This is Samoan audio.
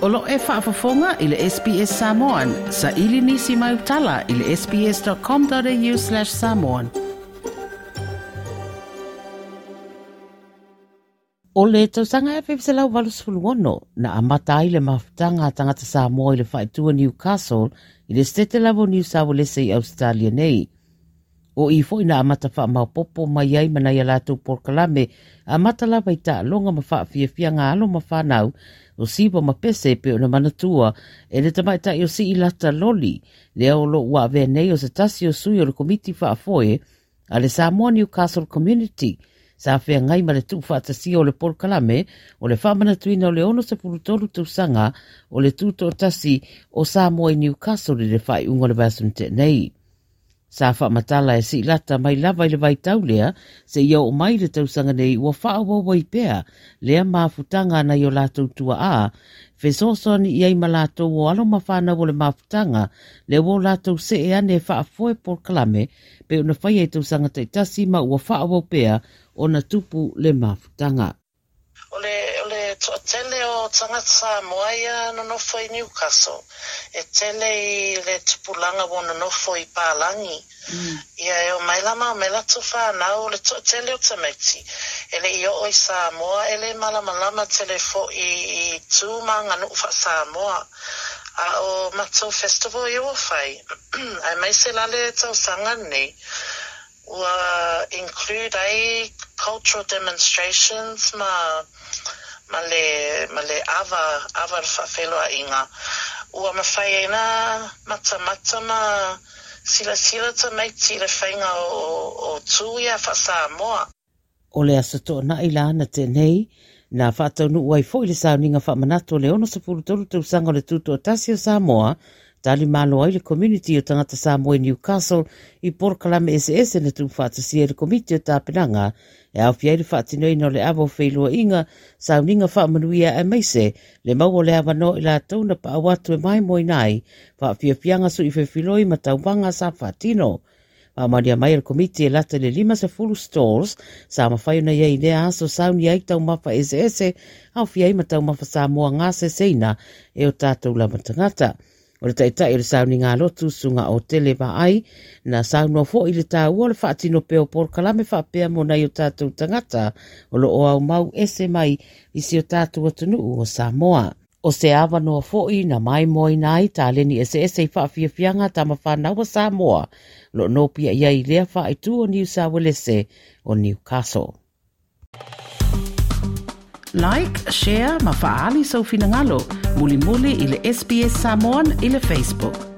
O lo o e faafofoga i le SBS Samoan. Saili nisi mau tala i le sbs.com.au/samoan. O le tausaga 1986 na amata ai le mafutaga a tagata Samoa i le faaitua Newcastle i le Setete lava o Niu Sauelese i Ausetalia nei. O i foi na amata faamaopoopo mai ai ma nai a latou polokalame amata lava i taaloga ma faafiafiaga a alo ma fanau o Siva ma Pese e pei ona manatua e le tamaitai o Siilata Loli, lea o lo o ua avea nei o se tasi o sui o le Komiti Faafoe a le Samoa Newcastle Community sa feagai ma le tuufaatasia o le polokalame o le faamanatuina o le 63 tausaga o le tutoatasi o Samoa i Newcastle i le faaiuga o le vaiaso na tea nei. Sa faamatala e Siilata mai lava i le vaitau lea seia oo mai i le tausaga nei ua faaauau ai pea lea mafutaga a nai o latou tuaa, fesoasoani i ai ma latou o alo ma fanau o le mafutaga lea ua o latou see ane e faafoe polokalame pei ona faia i tausaga taitasi ma ua faaauau pea ona tupu le mafutaga. O le, o le toatele o tagata Samoa ia nonofo i Newcastle, e tele i le tupulaga ua nonofo i Palangi. Ia e omai la ma omai latou fanau, o le toatele o tamaiti e le i oo i Samoa, e le malamalama tele foi i tu ma aganuu faa-Samoa. A o matou festival ia ua fai, aemaise la le tausaga lenei, Ua include ai cultural demonstrations ma ma le ma le ava ava le faafeiloaiga. Ua mafai ai na matamata ma silasila tamaiti i le faiga o o tu ia faa-Samoa. O le Aso Toonai la na tea nei, na faataunuu ai foi le sauniga faamanatu o le 63 tausaga o le Tutoatasi o Samoa, tali malo ai le community o tagata Samoa i Newcastle i polokalame eseese na tuufaatasia e le Komiti o Tapenaga e aofia ai le faatinoina o le ava o feiloaiga, sauniga faamanuia aemaise le maua o le avanoa i latou na paau atu e maimoaina ai faafiafiaga sui feofiloi ma tauvaga sa faatino. Faamaonia mai e le Komiti e lata i le 50 stalls sa mafai ona i ai i lea aso sauni ai taumafa eseese, aofia ai ma taumafa Samoa gaseseina e o tatou lava tagata. O le taitai o le sauniga lotu, Susuga Otele Vaai, na saunoa foi i le taua o le faatino pea o polokalame faapea mo nai o tatou tagata o lo o aumau ese mai i si o tatou atunuu o Samoa. O se avanoa foi na maimoaina ai taleni eseese i faafiafiaga a tama fanau a Samoa o lo o nopiai ai i lea faaitu o Niu Sauelese o Newcastle. Like, share ma faaali sou finagalo mulimuli i le SBS Samoan i le Facebook.